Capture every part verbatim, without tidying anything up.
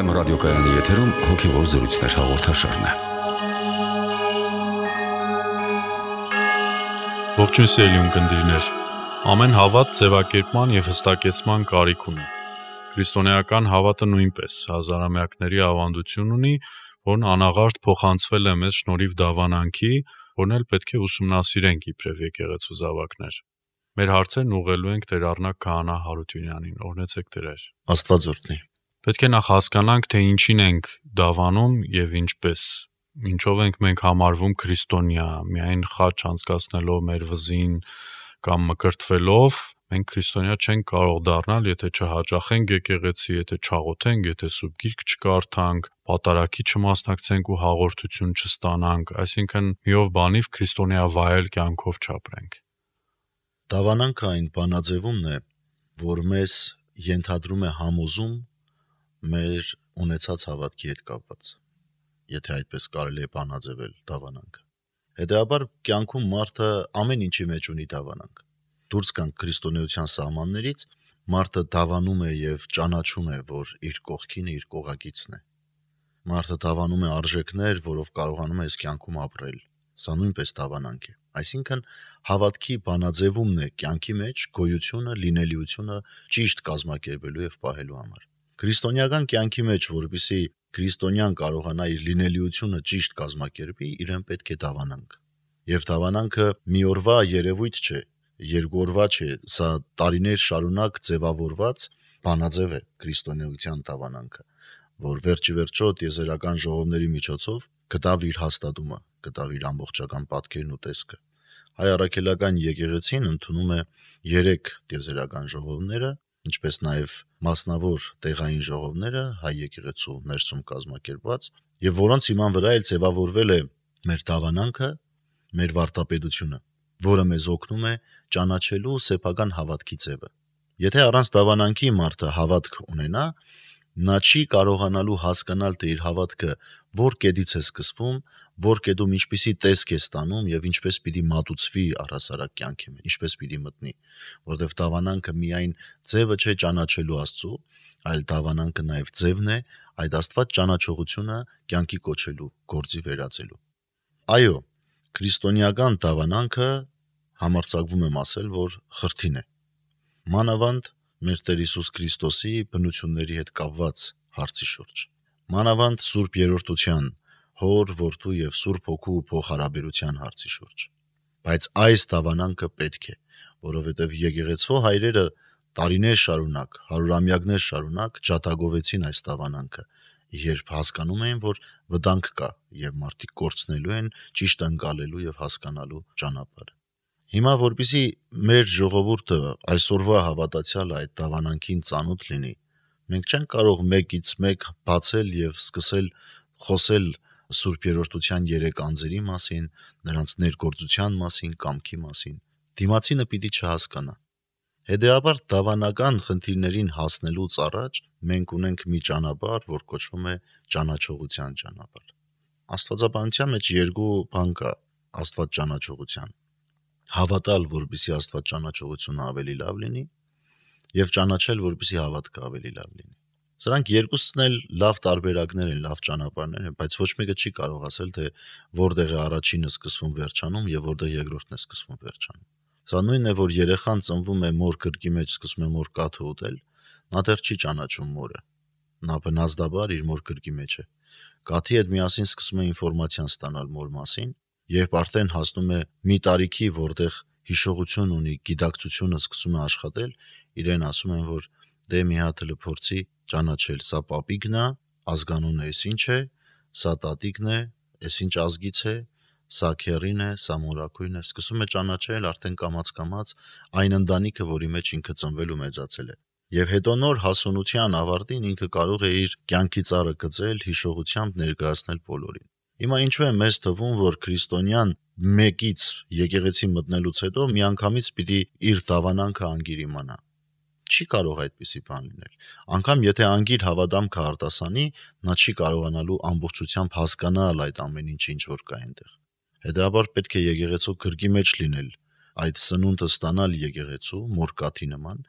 Երգորիամ ռադիոկայանի եթերում հոգևոր զրույցներ հաղորդաշարն է։ Ողջույն սիրելի ունկնդիրներ։ Ամեն հավատ ձևակերպման եւ հստակեցման կարիք ունի։ Քրիստոնեական հավատը նույնպես հազարամյակների ավանդություն ունի, որն անաղարտ փոխանցվել է մեզ շնորհիվ դավանանքի, որն էլ պետք է ուսումնասիրենք իբրև եկեղեցու զավակներ։ Մեր հարցերն ուղղելու ենք Տեր Առնակ Քահանա Հարությունյանին։ Օրհնեցեք Տեր։ Աստված օրհնի։ Պետք է նախ հասկանանք, թե ինչին ենք դավանում եւ ինչպես։ Ինչով ենք մենք համարվում քրիստոնյա, միայն խաչ անցկացնելով մեր վզին կամ մկրտվելով, մենք քրիստոնյա չենք կարող դառնալ, եթե չհաճախենք եկեղեցի, եթե չաղոթենք, եթե սուրբ գիրք չկարդանք, պատարագի չմասնակցենք ու հաղորդություն չստանանք, այսինքն միով բանիվ քրիստոնյա վայել կյանքով չապրենք։ Դավանանքը այն բանաձևումն է, որ մեզ ենթադրում է համոզում մեր ունեցած հավատքի հետ կապված, եթե այդպես կարելի է բանաձևել դավանանքը։ Հետևաբար կյանքում մարդը ամեն ինչի մեջ ունի դավանանք։ Դուրս գանք քրիստոնեության սահմաններից, մարդը դավանում է եւ ճանաչում է, որ իր կողքինը իր կողակիցն է։ Մարդը դավանում է արժեքներ, որով կարողանում է այս կյանքում ապրել։ Սա նույնպես դավանանք է։ Այսինքն հավատքի բանաձևումն է կյանքի մեջ գոյությունը, լինելիությունը ճիշտ կազմակերպելու եւ պահելու համար։ Քրիստոնեական կյանքի մեջ, որպեսզի քրիստոնյան կարողանա իր լինելիությունը ճիշտ կազմակերպի, իրեն պետք է դավանանք։ Եվ դավանանքը մի օրվա երևույթ չէ, երկու օրվա չէ, սա տարիներ շարունակ ձևավորված բանաձև է քրիստոնեության դավանանքը, որ վերջի վերջո տիեզերական ժողովների միջոցով գտավ իր հաստատումը, գտավ իր ամբողջական պատկերն ու տեսքը։ Հայ առաքելական եկեղեցին ընդունում է երեք տիեզերական ժողովները, ինչպես նաև մասնավոր տեղային ժողովները հայ եկեղեցու ներսում կազմակերպված, եւ որոնց հիման վրա էլ ձևավորվել է մեր դավանանքը, մեր վարտապետությունը, որը մեզ օգնում է ճանաչելու սեփական հավատքի ձևը։ Եթե առանց դավանանքի մարդը հավատք ունենա, նա չի կարողանալու հասկանալ, թե իր հավատքը որ կետից է սկսվում, որ կետում ինչպիսի տեսք է ստանում եւ ինչպես պիտի մատուցվի առհասարակ կյանքի մեջ, ինչպես պիտի մտնի, որովհետեւ դավանանքը միայն ձևը չէ ճանաչելու Աստծո, այլ դավանանքը նաեւ ձևն է այդ Աստված ճանաչողությունը կյանքի կոչելու, գործի վերածելու։ Այո, քրիստոնեական դավանանքը համարձակվում եմ ասել, որ խրթին է։ Մանավանդ մեր Տեր Հիսուս Քրիստոսի բնությունների հետ կապված հարցի շուրջ։ Մանավանդ Սուրբ Երրորդության, Հոր, Որդու եւ Սուրբ Հոգու փոխհարաբերության հարցի շուրջ։ Բայց այս դավանանքը պետք է, որովհետեւ եկեղեցու հայրերը տարիներ շարունակ, հարյուրամյակներ շարունակ ջատագովեցին այս դավանանքը, երբ հասկանում էին, որ վտանգ կա եւ մարդիկ կորցնելու են ճիշտ ընկալելու եւ հասկանալու ճանապարհը։ Հիմա որպեսզի մեր ժողովուրդը այսօրվա հավատացյալը այդ դավանանքին ծանոթ լինի, մենք չենք կարող մեկից մեկ բացել եւ սկսել խոսել Սուրբ Երրորդության երեք անձերի մասին, նրանց ներգործության մասին, կամքի մասին։ Դիմացինը պիտի չհասկանա։ Հետևաբար դավանական խնդիրներին հասնելուց առաջ մենք ունենք մի ճանապարհ, որ կոչվում է ճանաչողության ճանապարհ։ Աստվածաբանության մեջ երկու բան կա Աստված ճանաչողության։ Հավատալ, որպեսզի Աստված ճանաչողությունը ավելի լավ լինի, եւ ճանաչել, որպեսզի հավատքը ավելի լավ լինի։ Սրանք երկուսն էլ լավ տարբերակներ են, լավ ճանապարհներ են, բայց ոչ մեկը չի կարող ասել, թե որտեղ է առաջինը սկսվում վերջանում եւ որտեղ երկրորդն է սկսվում վերջանում։ Սա նույնն է, որ երեխան ծնվում է մոր կրկի մեջ, սկսում է մոր կաթը ուտել, նա դեռ չի ճանաչում մորը։ Նա բնազդաբար իր մոր կրկի մեջ է։ Կաթի հետ միասին սկսում է ինֆորմացիան ստանալ մոր մասին, երբ արդեն հասնում է մի տարիքի, որտեղ հիշողություն ունի, գիտակցությունը սկսում է աշխատել, իրեն ասում են, որ դե մի հատ էլ փորձի ճանաչել, սա պապիկն է, ազգանունը էս ինչ է, սա տատիկն է, էս ինչ ազգից է, սա քերին է, սա մորակույն է, սկսում է ճանաչել արդեն կամաց-կամաց այն ընտանիքը, որի մեջ ինքը ծնվել ու մեծացել է։ Եվ հետո նոր հասունության ավարտին ինքը կարող է իր կյանքի ծառը գծել, հիշողությամբ ներկայացնել բոլորին։ Հիմա ինչու է մեզ թվում, որ քրիստոնյան մեկից եկեղեցի մտնելուց հետո միանգամից պիտի իր դավանանքը անգիր իմանա։ Չի կարող այդպիսի բան լինել։ Անկամ եթե անգիր հավատամքը արտասանի, նա չի կարողանալու ամբողջությամբ հասկանալ այդ ամեն ինչը, ինչ որ կա այնտեղ։ Հետևաբար պետք է եկեղեցու գրկի մեջ լինել այդ սնունդը ստանալ եկեղեցու մորկաթի նման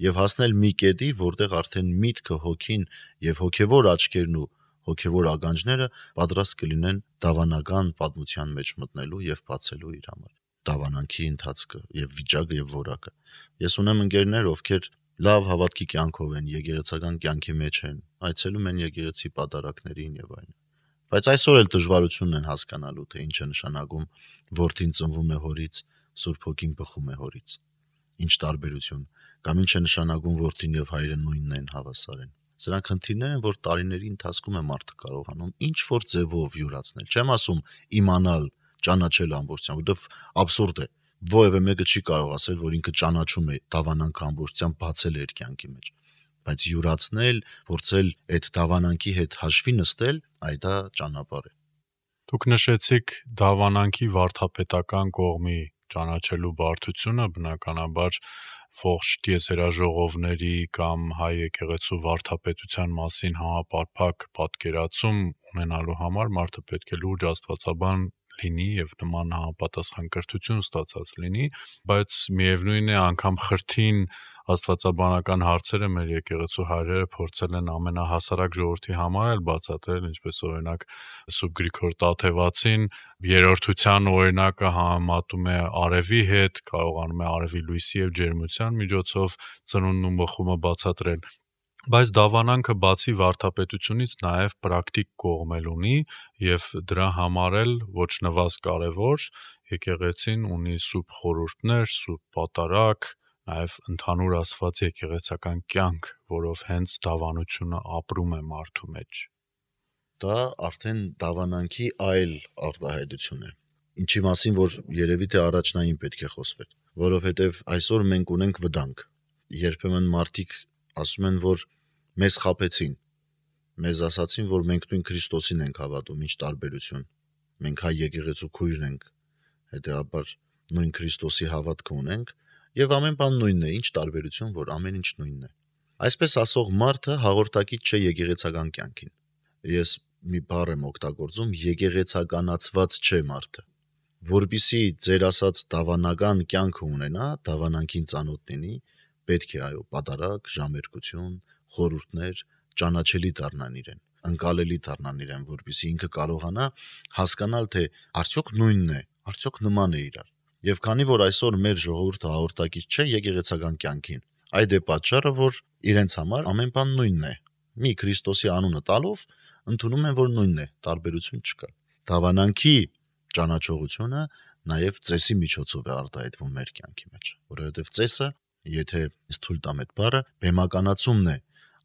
եւ հասնել մի կետի, որտեղ արդեն միտքը, հոգին եւ հոգեվոր աչքերն ու հոգեվոր ականջները պատրաստ կլինեն դավանական պատմության մեջ մտնելու եւ բացելու իր համար դավանանքի ընթացքը եւ վիճակը եւ որակը։ Ես ունեմ ընկերներ, ովքեր լավ հավատքի կյանքով են, եկեղեցական կյանքի մեջ են, այցելում են եկեղեցի պատարակներին եւ այլն։ Բայց այսօր էլ դժվարությունն են հասկանալու, թե ինչ է նշանակում որդին ծնվում է հորից, Սուրբ Հոգին բխում է հորից։ Ինչ տարբերություն, կամ ինչ է նշանակում որդին եւ հայրը նույնն են հավասար են։ Սրանք խնդիրներ են, որ տարիների ընթացքում է մարդը կարողանում ինչ որ ձևով յուրացնել։ Չեմ ասում իմանալ, ճանաչել ամբողջությամբ, որովհետեւ աբսուրդ է։ Որևէ մեկը չի կարող ասել, որ ինքը ճանաչում է դավանանքը ամբողջությամբ բացել իր կյանքի մեջ։ Բայց յուրացնել, փորձել այդ դավանանքի հետ հաշվի նստել, այ դա ճանապարհ է։ Դուք նշեցիք դավանանքի վարդապետական կողմի ճանաչելու բարդությունը, բնականաբար ողջ տիեզերաժողովների կամ հայ եկեղեցու վարդապետության մասին համապարփակ պատկերացում ունենալու համար մարդը պետք է լուրջ աստվածաբան լինի եւ նման համապատասխան կրթություն ստացած լինի, բայց միևնույն է անգամ խրթին աստվածաբանական հարցերը մեր եկեղեցու հայրերը փորձել են ամենահասարակ ժողովրդի համար էլ բացատրել, ինչպես օրինակ Սուրբ Գրիգոր Տաթևացին երրորդության օրինակը համեմատում է արևի հետ, կարողանում է արևի լույսի եւ ջերմության միջոցով ծնունդն ու բխումը բացատրել։ Բայց դավանանքը բացի վարդապետությունից նաև պրակտիկ կողմ էլ ունի եւ դրա համար էլ ոչ նվազ կարեւոր եկեղեցին ունի սուրբ խորհուրդներ, սուրբ պատարակ, նաև ընդհանուր ասված եկեղեցական կյանք, որով հենց դավանությունը ապրում է մարդու մեջ։ Դա արդեն դավանանքի այլ արտահայտություն է։ Ինչի մասին որ երևի թե առաջնային պետք է խոսվեր, որովհետեւ այսօր մենք ունենք վտանգ։ Երբեմն մարդիկ ասում են, որ մեզ խաբեցին, մեզ ասացին, որ մենք նույն Քրիստոսին ենք հավատում, ինչ տարբերություն։ Մենք հայ եկեղեցու քույրն ենք, հետեւաբար նույն Քրիստոսի հավատքը ունենք, եւ ամեն բան նույնն է, ինչ տարբերություն, որ ամեն ինչ նույնն է։ Այսպես ասող մարդը հաղորդակից չէ եկեղեցական կյանքին։ Ես մի բառ եմ օգտագործում, եկեղեցականացված չէ մարդը։ Որպիսի ձեր ասած դավանական կյանքը ունենա, դավանանքին ծանոթ լինի, պետք է այո, պատարակ, ժամերկություն, խորհուրդներ, ճանաչելի դառնան իրեն, ընկալելի դառնան իրեն, որպեսզի ինքը կարողանա հասկանալ, թե արդյոք նույնն է, արդյոք նման է իրար։ Եվ քանի որ այսօր մեր ժողովուրդը հաղորդակից չէ եկեղեցական կյանքին, այդ է պատճառը, որ իրենց համար ամեն բան նույնն է։ Մի Քրիստոսի անունը տալով ընդունում են, որ նույնն է, տարբերություն չկա։ Դավանանքի ճանաչողությունը նաև ծեսի միջոցով է արտահայտվում մեր կյանքի մեջ, որովհետև ծեսը, եթե թույլ տամ այդ բառը, բեմականացումն է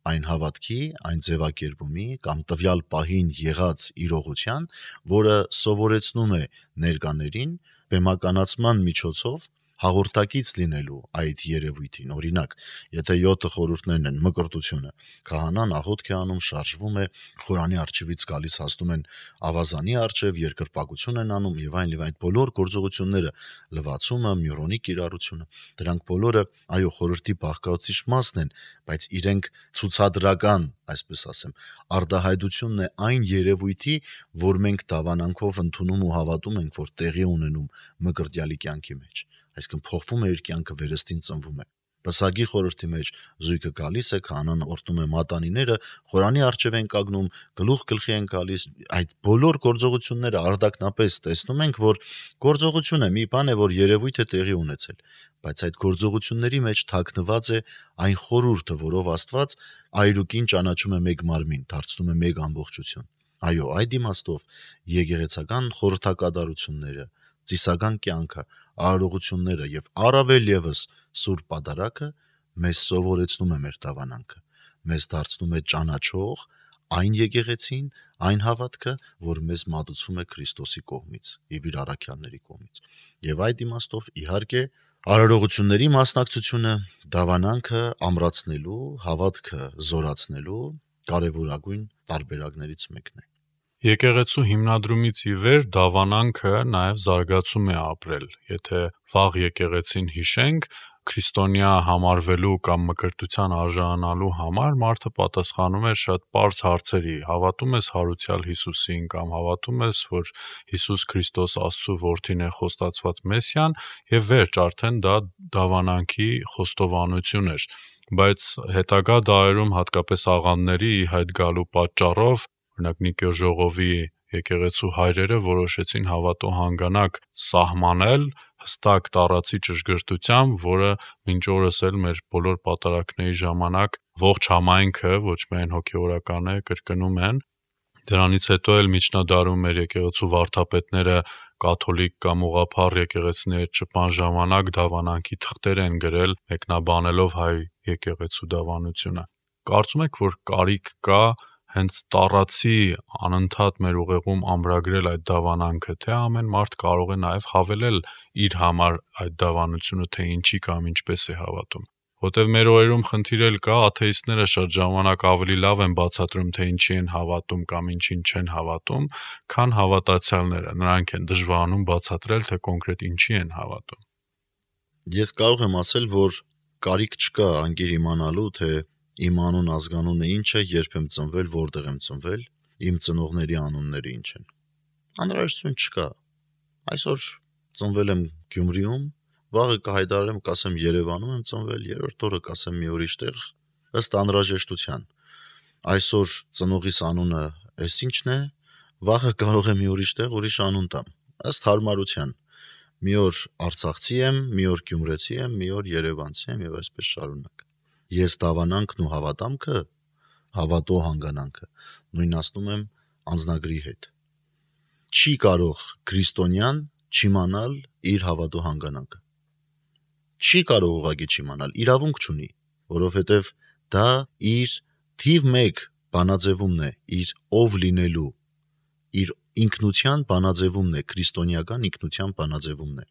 այն հավատքի, այն ձևակերպումի կամ տվյալ պահին եղած իրողության, որը սովորեցնում է ներկաներին բեմականացման միջոցով հաղորդակից լինելու այդ երևույթին։ Օրինակ, եթե յոթը խորհուրդներն են մկրտությունը, քահանան աղոթք է անում, շարժվում է, Խորանի արչիվից գալիս հասնում են ավազանի արչև, երկրպագություն են անում եւ այն եւ այդ բոլոր գործողությունները, լվացումը, մյուրոնի կիրառությունը, դրանք բոլորը այո խորհրդի բաղկացուցիչ մասն են, բայց իրենք ցուցադրական, այսպես ասեմ, արտահայտությունն է այն երևույթի, որ մենք դավանանքով ընդունում ու հավատում ենք, որ տեղի ունենում մկրտյալի կյանքի մեջ։ Այսինքն փոխվում է իր կյանքը, վերստին ծնվում է։ Պսակի խորհրդի մեջ զույգը գալիս է, քահանան օրդնում է մատանիները, Խորանի առջև են կանգնում, գլուխ գլխի են գալիս, այդ բոլոր գործողությունները արդակնապես տեսնում ենք, որ գործողություն է, մի բան է, որ երևույթ է տեղի ունեցել, բայց այդ գործողությունների մեջ թաքնված է այն խորհուրդը, որով Աստված այրուկին ճանաչում է մեկ մարմին, դարձնում է մեկ ամբողջություն։ Այո, այդ իմաստով եկեղեցական խորհրդակատարությունները, ծիսական կյանքը, արարողությունները եւ առավել եւս սուրբ պատարակը մեզ սովորեցնում է մեր դավանանքը, մեզ դարձնում է ճանաչող այն եկեղեցին, այն հավատքը, որ մեզ մատուցվում է Քրիստոսի կողմից եւ իր առաքյալների կողմից։ Եվ այդ իմաստով իհարկե արարողությունների մասնակցությունը դավանանքը ամրացնելու, հավատքը զորացնելու կարևորագույն տարբերակներից մեկն է։ Եկեղեցու հիմնադրումից ի վեր դավանանքը նաև զարգացում է ապրել։ Եթե վաղ եկեղեցին հիշենք, քրիստոնյա համարվելու կամ մկրտության արժանանալու համար մարդը պատասխանում էր շատ պարզ հարցերի. հավատում ես հարուցյալ Հիսուսին կամ հավատում ես, որ Հիսուս Քրիստոս Աստծո որդին է, խոստացված Մեսիան, եւ վերջ, արդեն դա դավանանքի խոստովանություն էր։ Բայց հետագա դարերում հատկապես աղանդների հայտ գալու պատճառով, օրինակ Նիկեո ժողովի եկեղեցու հայրերը որոշեցին հավատո հանգանակ սահմանել հստակ տարածի ճշգրտությամբ, որը մինչ օրս էլ մեր բոլոր պատարակների ժամանակ ողջ համայնքը, ոչ միայն հոգևորականը, կրկնում են։ Դրանից հետո էլ միջնադարում մեր եկեղեցու վարդապետները կաթոլիկ կամ ուղղափառ եկեղեցիների շփման ժամանակ դավանանքի թղթեր են գրել, մեկնաբանելով հայ եկեղեցու դավանությունը։ Կարծում եք, որ կարիք կա հենց տարածի անընդհատ մեր ուղեղում ամրագրել այդ դավանանքը, թե ամեն մարդ կարող է նաև հավելել իր համար այդ դավանությունը, թե ինչի կամ ինչպես է հավատում։ Որտեւ մեր օրերում խնդիր էլ կա, աթեիստները շատ ժամանակ ավելի լավ են բացատրում, թե ինչի են հավատում կամ ինչին չեն հավատում, քան հավատացյալները։ Նրանք են դժվարանում բացատրել, թե կոնկրետ ինչի են հավատում։ Ես կարող եմ ասել, որ կարիք չկա անգիր իմանալու, թե իմ անուն ազգանունը ինչ է, երբ եմ ծնվել, որտեղ եմ ծնվել, իմ ծնողների անունները ինչ են։ Անհրաժեշտություն չկա։ Այսօր ծնվել եմ Գյումրիում, վաղը կհայտարարեմ, կասեմ Երևանում եմ ծնվել, երրորդ օրը կասեմ մի ուրիշ տեղ, ըստ անհրաժեշտության։ Այսօր ծնողիս անունը էս ինչն է, վաղը կարող եմ մի ուրիշ տեղ ուրիշ անուն տամ, ըստ հարմարության։ Մի օր արցախցի եմ, մի օր գյումրեցի եմ, մի օր երևանցի եմ եւ այսպես շարունակ։ Ես դավանանքն ու հավատամքը, հավատո հանգանանքը նույնացնում եմ անձնագրի հետ։ Չի կարող քրիստոնյան չիմանալ իր հավատո հանգանանքը։ Չի կարող ուղղակի չիմանալ, իրավունք չունի, որովհետև դա իր թիվ մեկ բանաձևումն է, իր ով լինելու, իր ինքնության բանաձևումն է, քրիստոնեական ինքնության բանաձևումն է։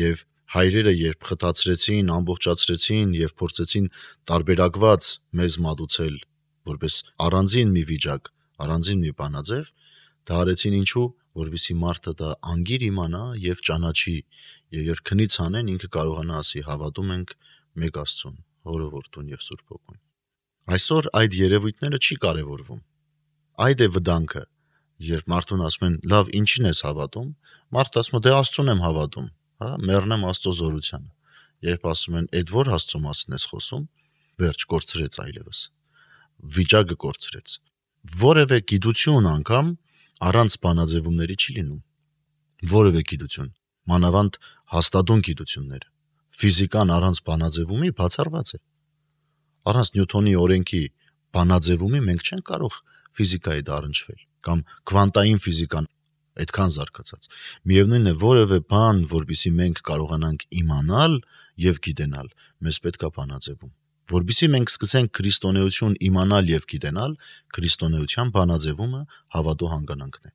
Եվ հայրերը երբ խտացրեցին, ամբողջացրեցին եւ փորձեցին տարբերակված մեզ մատուցել որպես առանձին մի վիճակ, առանձին մի բանաձև, դա արեցին ինչու, որովհետեւ մարդը դա անգիր իմանա եւ ճանաչի, եւ երբ քնից անեն ինքը կարողանա ասի հավատում ենք մեկ Աստծուն, Հորը, Որդուն եւ Սուրբ Հոգուն։ Այսօր այդ երևույթները չի կարևորվում։ Այդ է վտանգը, երբ մարդուն ասում են լավ ինչին ես հավատում, մարդը ասում է դե Աստծուն եմ հավատում, հա, մեռնեմ Աստծո զորությանը։ Երբ ասում են այդ որ Աստծո մասին ես խոսում, վերջ կորցրեց այլևս։ Վիճակը կորցրեց։ Որևէ գիտություն անգամ առանց բանաձևումների չի լինում։ Որևէ գիտություն, մանավանդ հաստատուն գիտությունները։ Ֆիզիկան առանց բանաձևումի բացառված է։ Առանց Նյութոնի օրենքի բանաձևումի մենք չենք կարող ֆիզիկայի դառնչվել կամ քվանտային ֆիզիկան այդքան զարգացած։ Միևնույնն է, որևէ բան, որբիսի մենք կարողանանք իմանալ եւ գիտենալ, մեզ պետք է բանաձևում։ Որբիսի մենք սկսենք քրիստոնեություն իմանալ եւ գիտենալ, քրիստոնեության բանաձևումը հավատո հանգանանքն է։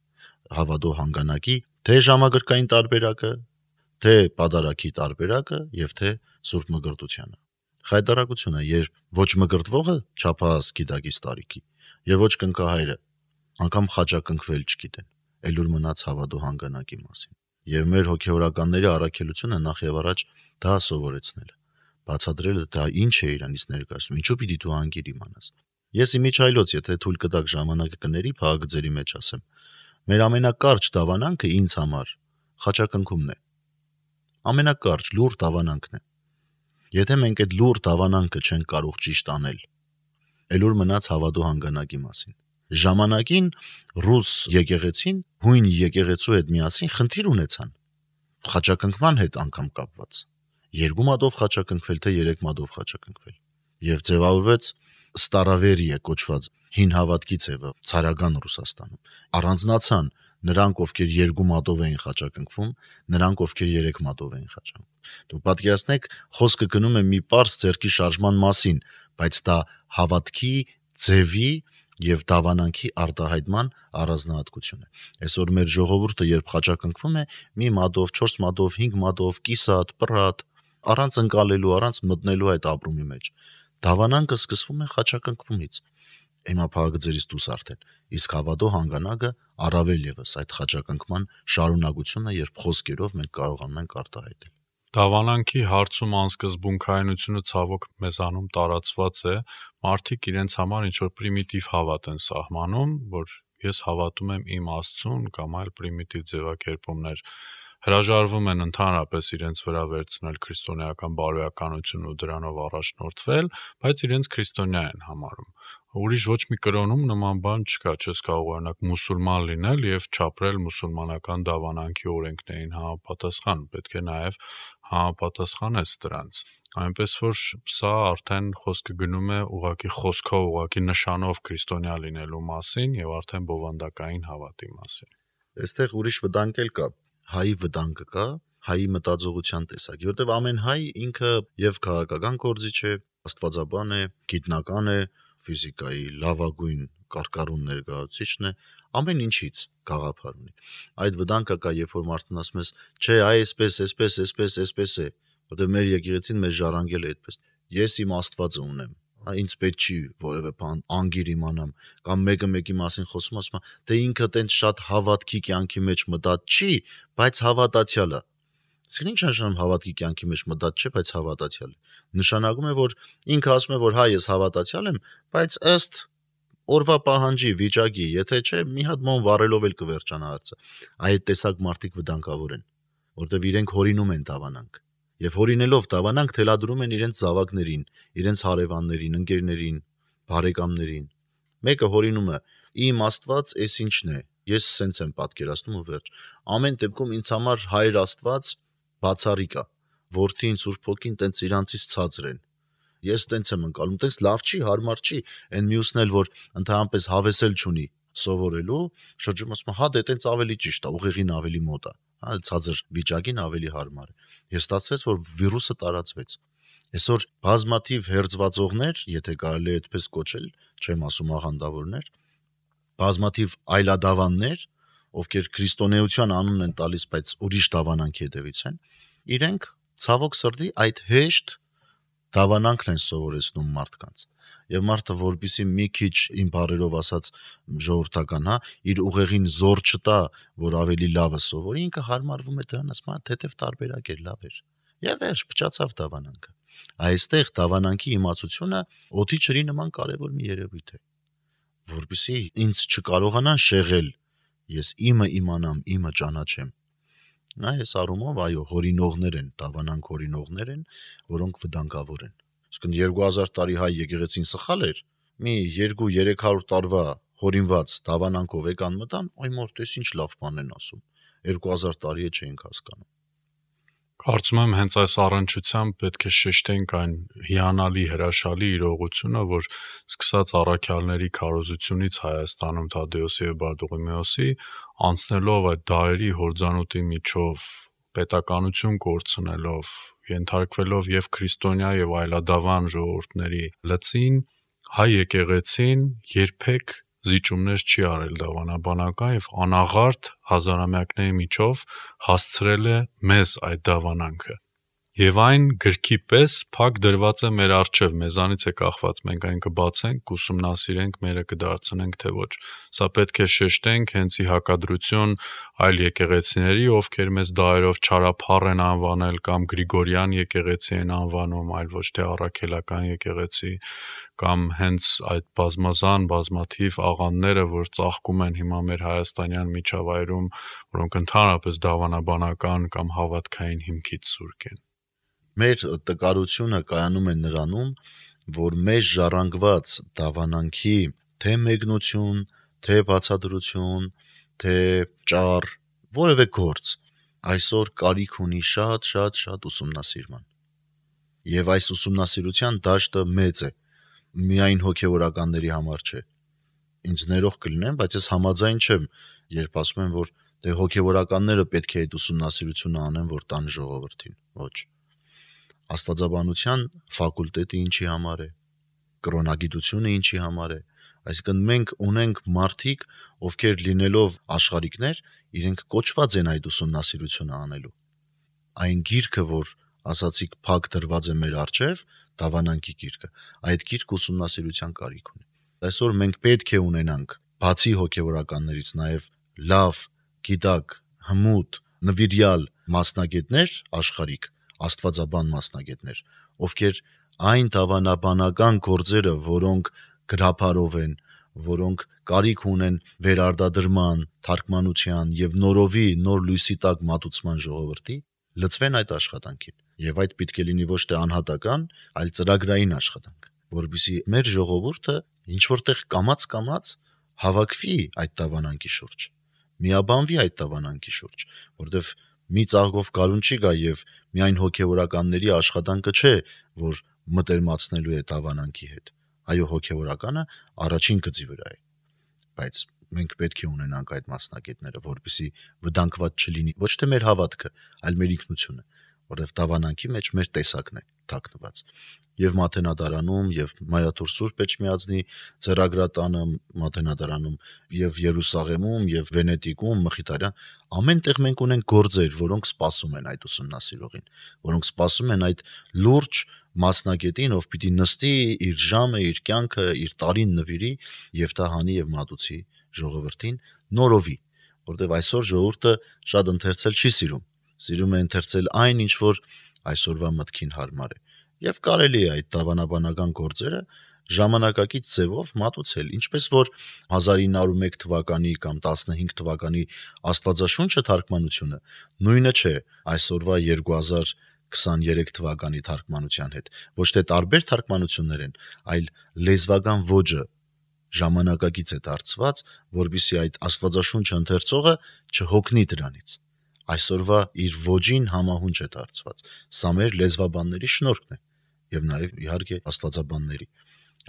Հավատո հանգանակի թե ժամագրկային տարբերակը, թե պատարակի տարբերակը եւ թե սուրբ մկրտությունը։ Խայտարակությունը, երբ ոչ մկրտվողը չափահաս գիտակից տարիքի եւ ոչ կնքահայրը անգամ խաչակնքվել չգիտեն, ելուր մնաց հավատո հանգանակի մասին։ Եվ մեր հոգեորականների առաքելությունը նախ եւ առաջ դա սովորեցնել, բացատրելը դա ինչ է իրանից ներկայացնում, ինչու պիտի դու անգիր իմանաս։ Ես իմիջայլոց, եթե թույլ կտակ ժամանակը կների, փաղագծերի մեջ ասեմ, մեր ամենակարճ դավանանքը ինձ համար խաչակնքումն է։ Ամենակարճ լուր դավանանքն է։ Եթե մենք այդ լուր դավանանքը չենք կարող ճիշտ անել, ելուր մնաց հավատո հանգանակի մասին։ Ժամանակին ռուս եկեղեցին հույն եկեղեցու հետ միասին խնդիր ունեցան խաչակնքման հետ անգամ կապված։ Երկու մատով խաչակնքվել, թե երեք մատով խաչակնքվել։ Եվ ձևավորվեց Ստարավերիա կոչված հին հավատքի ձևը ցարական Ռուսաստանում։ Առանձնացան նրանք, ովքեր երկու մատով էին խաչակնքվում, նրանք, ովքեր երեք մատով էին խաչակնքվում։ Դու պատկերացնեք, խոսքը գնում է մի պարզ ձեռքի շարժման մասին, բայց դա հավատքի ձևի եւ դավանանքի արտահայտման առանձնահատկություն է։ Այսօր մեր ժողովուրդը երբ խաչակնքվում է, մի մատով, չորս մատով, հինգ մատով, կիսատ, պրատ, առանց ընկալելու, առանց մտնելու այդ ապրումի մեջ։ Դավանանքը սկսվում է խաչակնքումից։ Հիմա փաղագծերից դուրս արդեն։ Իսկ հավատո հանգանակը առավել եւս այդ խաչակնքման շարունակությունը, երբ խոսքերով մենք կարողանում ենք արտահայտել։ Դավանանքի հարցում անսկզբունքայնությունը ցավոք մեզանում տարածված է, մարդիկ իրենց համար ինչ-որ պրիմիտիվ հավատ են սահմանում, որ ես հավատում եմ իմ Աստծուն կամ այլ պրիմիտիվ ձևակերպումներ, հրաժարվում են ընդհանրապես իրենց վրա վերցնել քրիստոնեական բարոյականություն ու դրանով առաջնորդվել, բայց իրենց քրիստոնյա են համարում։ Ուրիշ ոչ մի կրոնում նման բան չկա, չես կարող օրինակ մուսուլման լինել եւ չապրել մուսուլմանական դավանանքի օրենքներին համապատասխան, պետք է նաեւ համապատասխանես դրանց։ Այնպես որ սա արդեն խոսքը գնում է ուղղակի խոսքով, ուղղակի նշանով քրիստոնյա լինելու մասին եւ արդեն բովանդակային հավատի մասին։ Այստեղ ուրիշ վտանգ էլ կա, հայի վտանգը կա, հայի մտածողության տեսակ, որտեղ ամեն հայ ինքը եւ քաղաքական գործիչ է, աստվածաբան է, գիտնական է, ֆիզիկայի լավագույն կարկառուն ներկայացուցիչն է, ամեն ինչից գաղափար ունի։ Այդ վտանգը կա, երբ որ մարդն ասում է, չէ, այսպես, այսպես, այսպես, այսպես է, որտեղ մեր եկեղեցին մեզ ժառանգել է այդպես։ Ես իմ Աստվածը ունեմ, ինձ պետք չի որևէ բան անգիր իմանամ, կամ մեկը մեկի մասին խոսում ասում է, դե ինքը տենց շատ հավատքի կյանքի մեջ մտած չի, բայց հավատացյալ է։ Իսկ ինչ նշանակում հավատքի կյանքի մեջ մտած չէ, բայց հավատացյալ է։ Նշանակում է, որ ինքը ասում է, որ հա ես հավատացյալ եմ, բայց ըստ օրվա պահանջի, վիճակի, եթե չէ, մի հատ մոն վառելով էլ կվերջանա հարցը։ Այդ տեսակ մարդիկ վտանգավոր են, որտեղ իրենք հորինում են դավանանք։ Եվ հորինելով դավանանք թելադրում են իրենց զավակներին, իրենց հարևաններին, ընկերներին, բարեկամներին։ Մեկը հորինում է, իմ Աստված էս ինչն է, ես սենց եմ պատկերացնում ու վերջ։ Ամեն դեպքում ինձ համար Հայր Աստված բացառիկ է, որդին, Սուրբ Հոգին տենց իրանցից ցածր են։ Ես տենց եմ ընկալում, տենց լավ չի, հարմար չի, այն մյուսն էլ որ ընդհանրապես հավեսել չունի սովորելու, շրջում ասում հա դե տենց ավելի ճիշտ է, ուղեղին ավելի մոտ է, հա ցածր վիճակին ավելի հարմար է։ Ես ստացվեց, որ վիրուսը տարածվեց։ Այսօր բազմաթիվ հերձվածողներ, եթե կարելի է այդպես կոչել, չեմ ասում աղանդավորներ, բազմաթիվ այլադավաններ, ովքեր քրիստոնեության անունն են տալիս, բայց ուրիշ դավանանքի հետևից են, իրենք ցավոք սրտի այդ հեշտ դավանանքն են սովորեցնում մարդկանց։ Եվ մարդը, որպեսզի մի քիչ իմ բառերով ասած ժողովրդական, հա, իր ուղեղին զոր չտա, որ ավելի լավը սովորի, ինքը հարմարվում է դրան, ասում է, թեթև տարբերակ էր, լավ էր։ Եվ վերջ փչացավ դավանանքը։ Այստեղ դավանանքի իմացությունը օդի ջրի նման կարևոր մի երևույթ է, որպեսզի ինձ չկարողանան շեղել, ես իմը իմանամ, իմը ճանաչեմ։ Նա այս առումով այո, հորինողներ են, դավանանք հորինողներ են, որոնք վտանգավոր են։ Իսկ երկու հազար տարի հայ եկեղեցին սխալ էր, մի երկու երեք հարյուր տարվա հորինված դավանանքով եկան մտան, այ մորտ էս ինչ լավ բան են ասում։ երկու հազար տարի է չէինք հասկանում։ Կարծում եմ հենց այս առնչությամբ պետք է շեշտենք այն հիանալի հրաշալի իրողությունը, որ սկսած առաքյալների քարոզությունից Հայաստանում Թադեոսի եւ Բարդուղիմեոսի անցնելով այդ դարերի հորձանուտի միջով պետականություն կորցնելով, ենթարկվելով եւ քրիստոնյա եւ այլադավան ժողովուրդների լծին, հայ եկեղեցին երբեք զիջումներ չի արել դավանաբանական եւ անաղարտ հազարամյակների միջով հասցրել է մեզ այդ դավանանքը։ Եվ այն գրքի պես փակ դրված է մեր առջև, մեզանից է կախված, մենք այն կբացենք, կուսումնասիրենք, մերը կդարձնենք թե ոչ։ Սա պետք է շեշտենք հենց ի հակադրություն այլ եկեղեցիների, ովքեր մեզ դարերով չարափառ են անվանել կամ Գրիգորյան եկեղեցի են անվանում, այլ ոչ թե առաքելական եկեղեցի, կամ հենց այդ բազմազան բազմաթիվ աղանդները, որ ծաղկում են հիմա մեր հայաստանյան միջավայրում, որոնք ընդհանրապես դավանաբանական կամ հավատքային հիմքից սուրկ են։ Մեր տկարությունը կայանում է նրանում, որ մեզ ժառանգված դավանանքի թե մեկնություն, թե բացատրություն, թե ճառ, որևէ գործ այսօր կարիք ունի շատ, շատ, շատ ուսումնասիրման։ Եվ այս ուսումնասիրության դաշտը մեծ է, միայն հոգևորականների համար չէ։ Ինձ ներող կլինեմ, բայց ես համաձայն չեմ, երբ ասում եմ, որ դե հոգևորականները պետք է այդ ուսումնասիրությունը անեն, որ տան ժողովրդին։ Ոչ։ Աստվածաբանության ֆակուլտետը ինչի համար է, կրոնագիտությունը ինչի համար է, այսինքն մենք ունենք մարդիկ, ովքեր լինելով աշխարհիկներ, իրենք կոչված են այդ ուսումնասիրությունը անելու։ Այն գիրքը, որ ասացիք փակ դրված է մեր առջև, դավանանքի գիրքը, այդ գիրքը ուսումնասիրության կարիք ունի։ Այսօր մենք պետք է ունենանք, բացի հոգևորականներից, նաև լավ, գիտակ, հմուտ, նվիրյալ մասնագետներ աշխարհիկ, աստվածաբան մասնագետներ, ովքեր այն դավանաբանական գործերը, որոնք գրափարով են, որոնք կարիք ունեն վերարտադրման, թարգմանության եւ նորովի նոր լույսի տակ մատուցման ժողովրդի, լծվեն այդ աշխատանքին։ Եվ այդ պետք է լինի ոչ թե անհատական, այլ ծրագրային աշխատանք, որովհետեւ մեր ժողովուրդը ինչ որտեղ կամած-կամած հավաքվի այդ դավանանքի շուրջ, միաբանվի այդ դավանանքի շուրջ, որովհետեւ մի ծաղկով գարուն չի գա եւ միայն հոգեվորականների աշխատանքը չէ, որ մտերմացնելու է դավանանքի հետ։ Այո, հոգեվորականը առաջին գծի վրա է, բայց մենք պետք է ունենանք այդ մասնագետները, որպեսզի վտանգված չլինի ոչ թե մեր հավատքը, այլ մեր ինքնությունը, որովհետև դավանանքի մեջ մեր տեսակն է թաքնված։ Եվ Մատենադարանում, եւ Մայրաթուր Սուրբ Էջմիածնի ձեռագրատանը Մատենադարանում, եւ Երուսաղեմում, եւ Վենետիկում, Մխիթարյան, ամենտեղ մենք ունենք գործեր, որոնք սպասում են այդ ուսումնասիրողին, որոնք սպասում են այդ լուրջ մասնագետին, ով պիտի նստի իր ժամը, իր կյանքը, իր տարին նվիրի եւ դա հանի եւ մատուցի ժողովրդին նորովի, որովհետեւ այսօր ժողովուրդը շատ ընթերցել չի սիրում, սիրում է ընթերցել այն, ինչ որ այսօրվա մտքին հարմար է, եւ կարելի է այդ դավանաբանական գործերը ժամանակակից ձևով մատուցել, ինչպես որ հազար ինը հարյուր ու մեկ թվականի կամ տասնհինգ թվականի Աստվածաշունչը թարգմանությունը նույնը չէ այսօրվա երկու հազար քսաներեք թվականի թարգմանության հետ, ոչ թե տարբեր թարգմանություններ են, այլ լեզվական ոճը ժամանակակից է դարձված, որպեսզի այդ Աստվածաշունչը ընթերցողը չհոգնի դրանից։ Այսօրվա իր ոճին համահունչ է դարձված։ Սա մեր լեզվաբանների շնորհքն է եւ նաեւ իհարկե աստվածաբանների։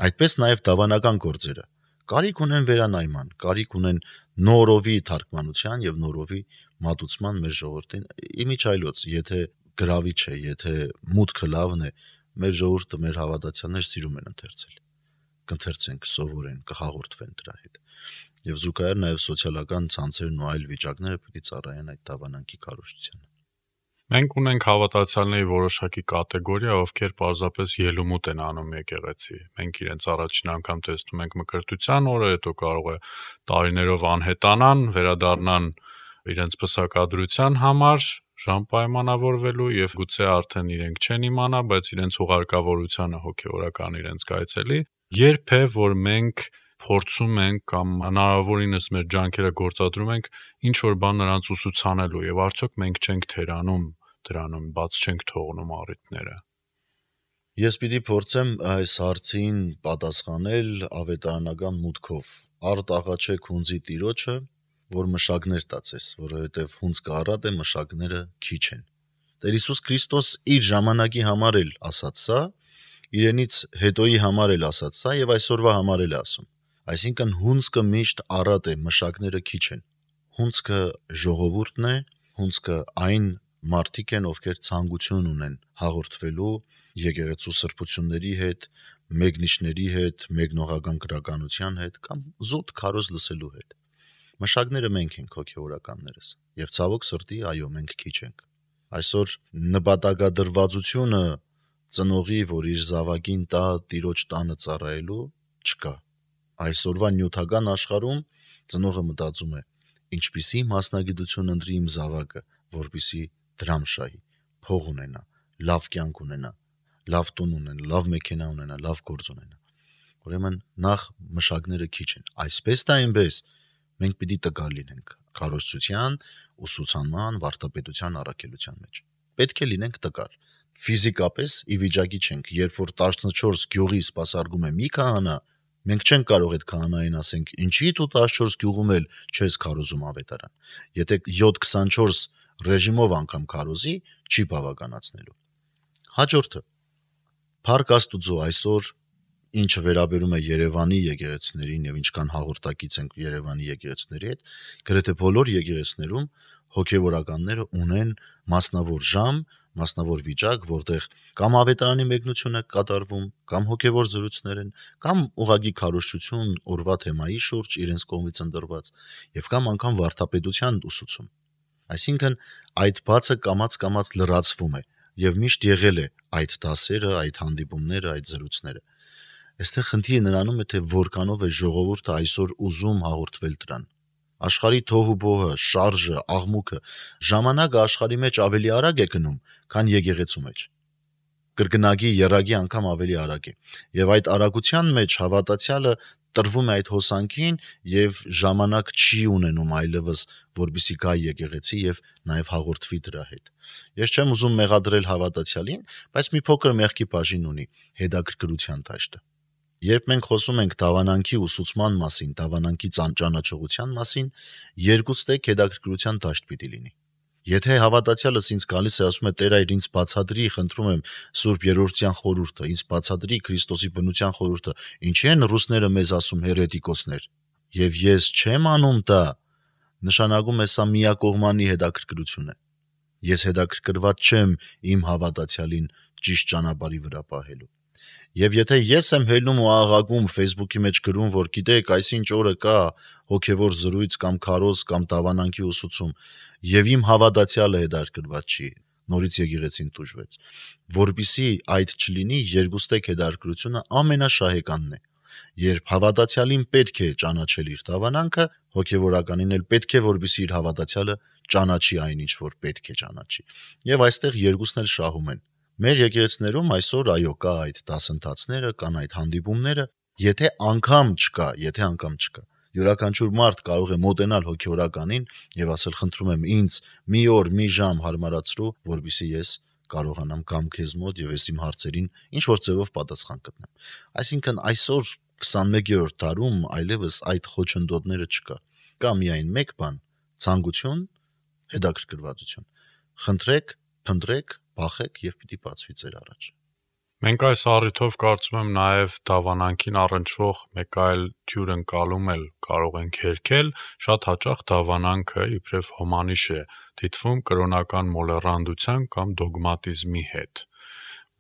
Այդպես նաեւ դավանական գործերը կարիք ունեն վերանայման, կարիք ունեն նորովի թարգմանության եւ նորովի մատուցման մեր ժողովրդին։ Իմիջայլոց, եթե գրավիչ է, եթե մուտքը լավն է, մեր ժողովուրդը, մեր հավատացյալներ սիրում են ընթերցել։ Կընթերցեն, կսովորեն, կհաղորդվեն դրա հետ։ Եվ զուգահեռ նաեւ սոցիալական ցանցերն ու այլ վիճակները պիտի ծառայեն այդ դավանանքի քարոզչությանը։ Մենք ունենք հավատացյալների որոշակի կատեգորիա, ովքեր պարզապես ելումուտ են անում եկեղեցի։ Մենք իրենց առաջին անգամ տեսնում ենք մկրտության օրը, հետո կարող է տարիներով անհետանան, վերադառնան իրենց պսակադրության համար, ժամ պայմանավորվելու եւ գուցե արդեն իրենք չեն իմանա, բայց իրենց ուղարկավորությանը հոգեորական իրենց կայցելի։ Երբ է, որ մենք փորձում ենք կամ հնարավորինս մեր ջանքերը գործադրում ենք ինչ որ բան նրանց ուսուցանելու եւ արդյոք մենք չենք թերանում դրանում, բաց չենք թողնում առիթները։ Ես պիտի փորձեմ այս հարցին պատասխանել ավետարանական մուտքով։ Արդ աղաչեք հունձի տիրոջը, որ մշակներ տածես, որովհետեւ հունձ կառատ է, մշակները քիչ են։ Տեր Հիսուս Քրիստոս իր ժամանակի համար էլ ասաց սա, իրենից հետոյի համար էլ ասաց սա եւ այսօրվա համար էլ ասում։ Այսինքն հունձքը միշտ առատ է, մշակները քիչ են։ Հունձքը ժողովուրդն է, հունձքը այն մարդիկ են, ովքեր ցանկություն ունեն հաղորդվելու եկեղեցու սրբությունների հետ, մեկնիչների հետ, մեկնողական գրականության հետ կամ զուտ քարոզ լսելու հետ։ Մշակները մենք ենք հոգեորականներս, եւ ցավոք սրտի, այո, մենք քիչ ենք։ Այսօր նպատակադրվածությունը ծնողի, որ իր զավակին տա տիրոջ տանը ծառայելու, չկա։ Այսօրվա նյութական աշխարհում ծնողը մտածում է, ինչպիսի մասնագիտություն ընտրի իմ զավակը, որպեսի դրամ շահի, փող ունենա, լավ կյանք ունենա, լավ տուն ունենա, լավ մեքենա ունենա, լավ գործ ունենա։ Ուրեմն նախ մշակները քիչ են։ Այսպես դա այնպես մենք պիտի տկար լինենք քարոզչության, ուսուցանման, վարդապետության առաքելության մեջ։ Պետք է լինենք տկար։ Ֆիզիկապես ի վիճակի չենք, երբ որ տասնչորս գյուղի սպասարկում է մի քահանա, մենք չենք կարող այդ քահանային ասենք, ինչի դու տասնչորս գյուղում էլ չես քարոզում ավետարան։ Եթե յոթ քսանչորս ռեժիմով անգամ քարոզի, չի բավականացնելու։ Հաջորդը Փառք Աստուծո, այսօր ինչը վերաբերում է Երևանի եկեղեցիներին եւ ինչքան հաղորդակից ենք Երևանի եկեղեցիների հետ, գրեթե բոլոր եկեղեցիներում հոգեվորականները ունեն մասնավոր ժամ, մասնավոր վիճակ, որտեղ կամ ավետարանի մեկնությունը կատարվում, կամ հոգեվոր զրույցներ են, կամ ուղագի քարոզչություն օրվա թեմայի շուրջ իրենց կողմից ընտրված, եւ կամ անգամ վարդապետության ուսուցում։ Այսինքն այդ բացը կամած-կամած լրացվում է եւ միշտ եղել է այդ դասերը, այդ հանդիպումները, այդ զրույցները։ Այստեղ խնդիրը նրանում է, թե որքանով է ժողովուրդը այսօր ուզում հաղորդվել դրան։ Աշխարհի թոհուբոհը, շարժը, աղմուկը, ժամանակը աշխարհի մեջ ավելի արագ է գնում, քան եկեղեցու մեջ։ Կրկնագի, եռագի անգամ ավելի արագ է։ Եվ այդ արագության մեջ հավատացյալը տրվում է այդ հոսանքին եւ ժամանակ չի ունենում այլևս, որբիսի գա եկեղեցի եւ նաեւ հաղորդվի դրա հետ։ Ես չեմ ուզում մեղադրել հավատացյալին, բայց մի փոքր մեղքի բաժին ունի հետաքրքրության դաշտը։ Երբ մենք խոսում ենք դավանանքի ուսուցման մասին, դավանանքի ճանաչողության մասին, երկուստեք հետաքրքրության դաշտ պիտի լինի։ Եթե հավատացյալս ինձ գալիս է ասում է Տեր այր ինձ բացատրի, խնդրում եմ Սուրբ Երրորդյան խորհուրդը, ինձ բացատրի Քրիստոսի բնության խորհուրդը, ինչի են ռուսները մեզ ասում հերետիկոսներ, եւ ես չեմ անում դա, նշանակում է սա միակողմանի հետաքրքրություն է։ Ես հետաքրքրված չեմ իմ հավատացյալին ճիշտ ճանապարհի վրա պահելու։ Եվ եթե ես եմ հելնում ու աղաղակում Facebook-ի մեջ գրում, որ գիտեք, այսինչ օրը կա հոգևոր զրույց կամ քարոզ կամ դավանանքի ուսուցում, եւ իմ հավատացյալը հետաքրքրված չի, նորից եկեղեցին տուժվեց, որբիսի այդ չլինի, երկուստեք հետաքրքրությունը ամենաշահեկանն է։ Երբ հավատացյալին պետք է ճանաչել իր դավանանքը, հոգևորականին էլ պետք է, որբիսի իր հավատացյալը ճանաչի այնինչ, որ պետք է ճանաչի։ Եվ այստեղ երկուսն էլ շահում են։ Մեր եկեղեցիներում այսօր այո կա այդ դասընթացները, կան այդ հանդիպումները, եթե անգամ չկա, եթե անգամ չկա։ Յուրաքանչյուր մարդ կարող է մոտենալ հոգևորականին եւ ասել խնդրում եմ ինձ մի օր, մի ժամ հարմարացրու, որբիսի ես կարողանամ կամ քեզ մոտ եւ ես իմ հարցերին ինչ որ ձևով պատասխան գտնեմ։ Այսինքն այսօր քսաներկերորդ դարում այլևս այդ խոչընդոտները չկա։ Կա միայն մեկ բան՝ ցանկություն, հետաքրքրվածություն։ Խնդրեք, փնտրեք, բախեք եւ պիտի բացվի ձեր առաջ։ Մենք այս առիթով կարծում եմ նաև դավանանքին առնչվող մեկ այլ թյուր ընկալում էլ կարող ենք հերքել, շատ հաճախ դավանանքը իբրև հոմանիշ է դիտվում կրոնական մոլեռանդության կամ դոգմատիզմի հետ,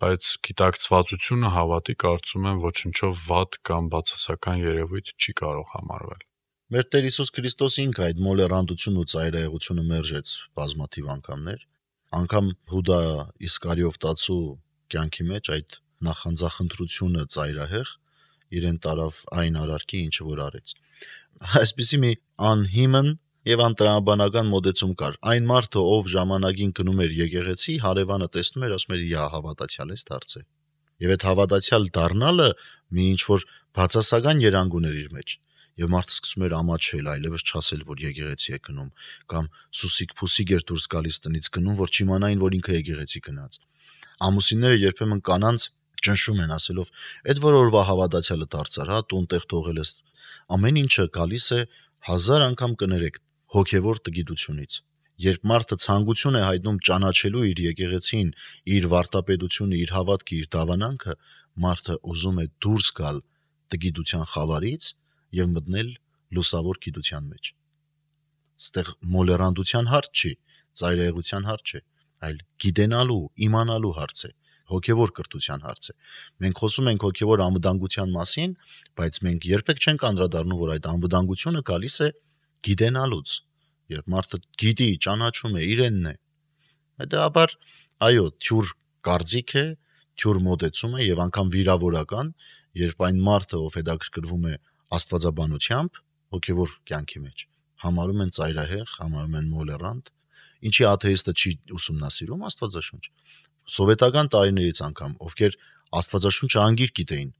բայց գիտակցվածությունը հավատի կարծում եմ ոչնչով վատ կամ բացասական երևույթ չի կարող համարվել։ Մեր Տեր Հիսուս Քրիստոսը ինքը այդ մոլեռանդությունն ու ծայրահեղությունը մերժեց բազմաթիվ անգամներ, անգամ Հուդա Իսկարիովտացու կյանքի մեջ այդ նախանձախնդրությունը ծայրահեղ իրեն տարավ այն արարքի, ինչը որ արեց։ Այսպիսի մի անհիմն եւ անտրամաբանական մոտեցում կար։ Այն մարդը, ով ժամանակին գնում էր եկեղեցի, հարևանը տեսնում էր, ասում էր՝ «Իա, հավատացյալ ես դարձել»։ Եվ այդ հավատացյալ դառնալը մի ինչ որ բացասական երանգ ուներ իր մեջ։ Եվ մարդը սկսում էր ամաչել, այլևս չասել, որ եկեղեցի է գնում, կամ սուսիկ-փուսիկ էր դուրս գալիս տնից գնում, որ չիմանային, որ ինքը եկեղեցի գնաց։ Ամուսինները երբեմն կանանց ճնշում են ասելով. «Այդ որ օրվա հավատացյալը դարձար, հա, տուն-տեղ թողել ես»։ Ամեն ինչը գալիս է հազար անգամ կներեք հոգևոր տգիտությունից։ Երբ մարդը ցանկություն է հայտնում ճանաչելու իր եկեղեցին, իր վարտապետությունը, իր հավատքը, իր դավանանքը, մարդը ուզում է դուրս գալ տգիտության խավարից եւ մտնել լուսավոր գիտության մեջ։ Ստեղ մոլեռանդության հարց չի, ծայրահեղության հարց չէ, այլ գիտենալու, իմանալու հարց է, հոգևոր կրթության հարց է։ Մենք խոսում ենք հոգևոր անվտանգության մասին, բայց մենք երբեք չենք անդրադառնում, որ այդ անվտանգությունը գալիս է գիտենալուց։ Երբ մարդը գիտի, ճանաչում է, իրենն է, հետեւաբար այո, թյուր կարծիք է, թյուր մոտեցում է եւ անգամ վիրավորական, երբ այն մարդը, ով հետաքրքրվում է աստվածաբանությամբ, հոգևոր կյանքի մեջ, համարում են ծայրահեղ, համարում են մոլեռանդ, ինչի աթեիստը չի ուսումնասիրում Աստվածաշունչ։ Սովետական տարիներից անգամ, ովքեր Աստվածաշունչը անգիր գիտեին,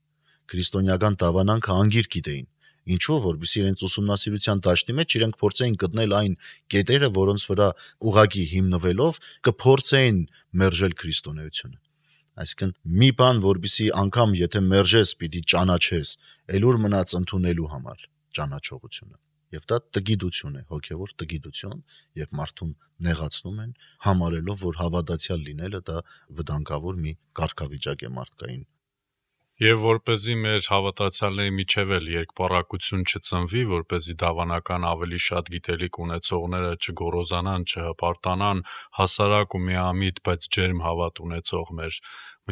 քրիստոնեական դավանանքը անգիր գիտեին, ինչու, որովհետեւ իրենց ուսումնասիրության դաշտի մեջ իրենք փորձեին գտնել այն կետերը, որոնց վրա ուղղակի հիմնվելով կփորձեին մերժել քրիստոնեությունը։ Այսինքն մի բան, որբիսի անգամ եթե մերժես, պիտի ճանաչես, ելուր մնաց ընդունելու համար ճանաչողությունը։ Եվ դա տգիտություն է, հոգևոր տգիտություն, երբ մարդուն նեղացնում են, համարելով, որ հավատացյալ լինելը դա վտանգավոր մի կարգավիճակ է մարդկային։ Եվ որպեսզի մեր հավատացյալների միջև էլ երկպառակություն չծնվի, որպեսզի դավանական ավելի շատ գիտելիք ունեցողները չգոռոզանան, չհպարտանան, հասարակ ու միամիտ, բայց ջերմ հավատ ունեցող մեր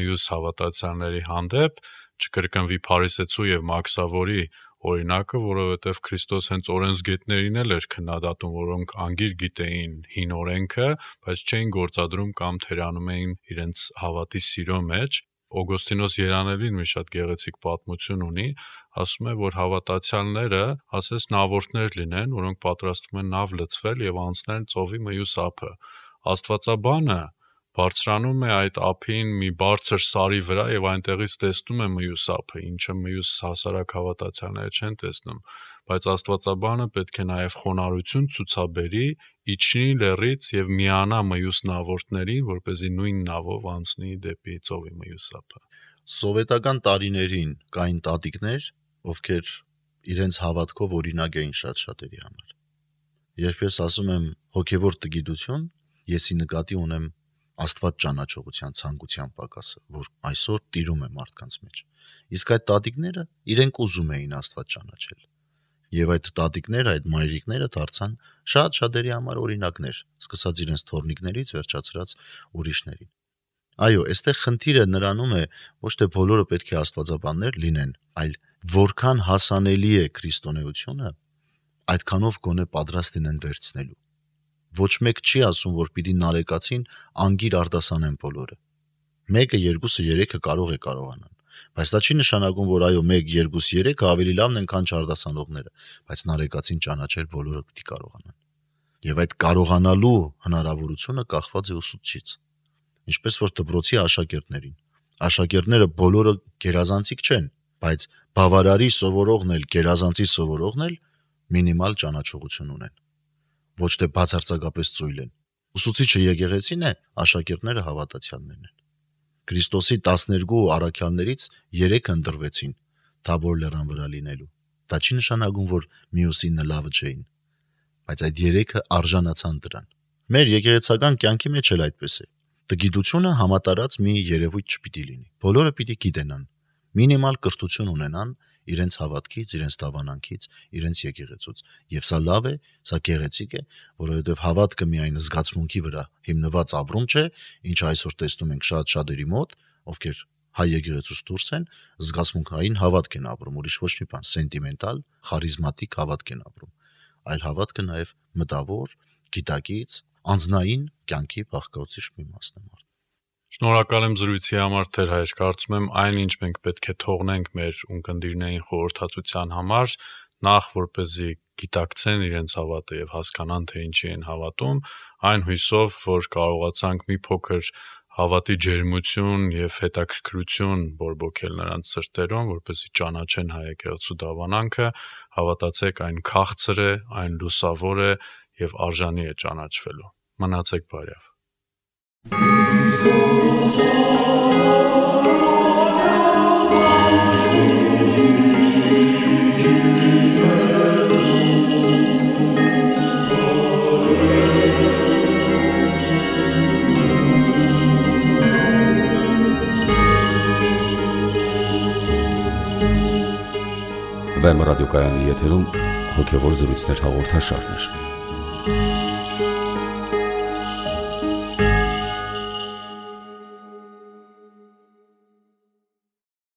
մյուս հավատացյալների հանդեպ, չկրկնվի Փարիսեցու եւ Մաքսավորի օրինակը, որովհետև Քրիստոս հենց օրենսգետներին էլ էր քննադատում, որոնք անգիր գիտեին հին օրենքը, բայց չէին գործադրում կամ թերանում էին իրենց հավատի սիրո մեջ, Օգոստինոս Երանելին մի շատ գեղեցիկ պատմություն ունի, ասում է, որ հավատացյալները ասես նավորդներ լինեն, որոնք պատրաստվում են նավ լցվել եւ անցնել ծովի մյուս ափը։ Աստվածաբանը բարձրանում է այդ ափին մի բարձր սարի վրա եւ այնտեղից տեսնում է մյուս ափը, ինչը մյուս հասարակ հավատացյալները չեն տեսնում, բայց Աստվածաբանը պետք է նաեւ խոնարհություն ցուցաբերի, իջնի լեռից եւ միանա մյուս նավորդներին, որպեսզի նույն նավով անցնի դեպի ծովի մյուս ափը։ Սովետական տարիներին կային տատիկներ, ովքեր իրենց հավատքով օրինակ էին շատ շատերի համար։ Երբ ես ասում եմ հոգևոր տգիտություն, եսի նկատի ունեմ Աստված ճանաչողության ցանկության պակասը, որ այսօր տիրում է մարդկանց մեջ։ Իսկ այդ տատիկները իրենք ուզում էին Աստված ճանաչել։ Եվ այդ տատիկները, այդ մայրիկները դարձան շատ շատերի համար օրինակներ, սկսած իրենց թորնիկներից վերջացրած ուրիշներին։ Այո, այստեղ խնդիրը նրանում է, ոչ թե բոլորը պետք է աստվածաբաններ լինեն, այլ որքան հասանելի է քրիստոնեությունը, այդքանով գոնե պատրաստ են վերցնելու։ Ոչ մեկ չի ասում, որ պիտի նարեկացին անգիր արտասանեն բոլորը։ Մեկը, երկուսը, երեքը կարող է կարողանան, բայց դա չի նշանակում, որ այո, մեկ, երկուս, երեքը ավելի լավն են, քան չարտասանողները, բայց նարեկացին ճանաչել բոլորը պիտի կարողանան։ Եվ այդ կարողանալու հնարավորությունը կախված է ուսուցչից։ Ինչպես որ դպրոցի աշակերտներին։ Աշակերտները բոլորը գերազանցիկ չեն, բայց բավարարի սովորողն էլ, գերազանցի սովորողն էլ մինիմալ ճանաչողություն ունեն։ Ոչ թե բացարձակապես ծույլ են։ Ուսուցիչը եկեղեցին է, աշակերտները հավատացյալներն են։ Քրիստոսի տասներկու առաքյալներից երեքը ընտրվեցին Թաբոր լեռան վրա լինելու։ Դա չի նշանակում, որ մյուսինը լավը չէին, բայց այդ երեքը արժանացան դրան։ Մեր եկեղեցական կյանքի մեջ էլ այդպես է։ Տգիտությունը համատարած մի երևույթ չպիտի լինի։ Բոլորը պիտի գիտենան, մինիմալ կրթություն ունենան իրենց հավատքից, իրենց դավանանքից, իրենց եկեղեցուց։ Եվ սա լավ է, սա գեղեցիկ է, որովհետև հավատքը միայն զգացմունքի վրա հիմնված ապրում չէ, ինչը այսօր տեսնում ենք շատ շատերի մոտ, ովքեր հայ եկեղեցուց դուրս են, զգացմունքային հավատք են ապրում, ուրիշ ոչ մի բան, սենտիմենտալ, խարիզմատիկ հավատք են ապրում, այլ հավատքը նաև մտավոր, գիտակից, անձնային կյանքի բաղկացուցիչ մի մասն է մարդ։ Շնորհակալ եմ զրույցի համար, Տեր հայր, կարծում եմ այն, ինչ մենք պետք է թողնենք մեր ունկնդիրներին խորհրդածության համար, նախ որպեսզի գիտակցեն իրենց հավատը եւ հասկանան, թե ինչի են հավատում, այն հույսով, որ կարողացանք մի փոքր հավատի ջերմություն եւ հետաքրքրություն բորբոքել նրանց սրտերում, որպեսզի ճանաչեն հայ եկեղեցու դավանանքը, հավատացեք, այն քաղցր է, այն լուսավոր է եւ արժանի է ճանաչվելու։ Մնացեք բարյավ։ Վեմ ռադիոկայանի եթերում հոգևոր զրույցներ հաղորդաշարներ։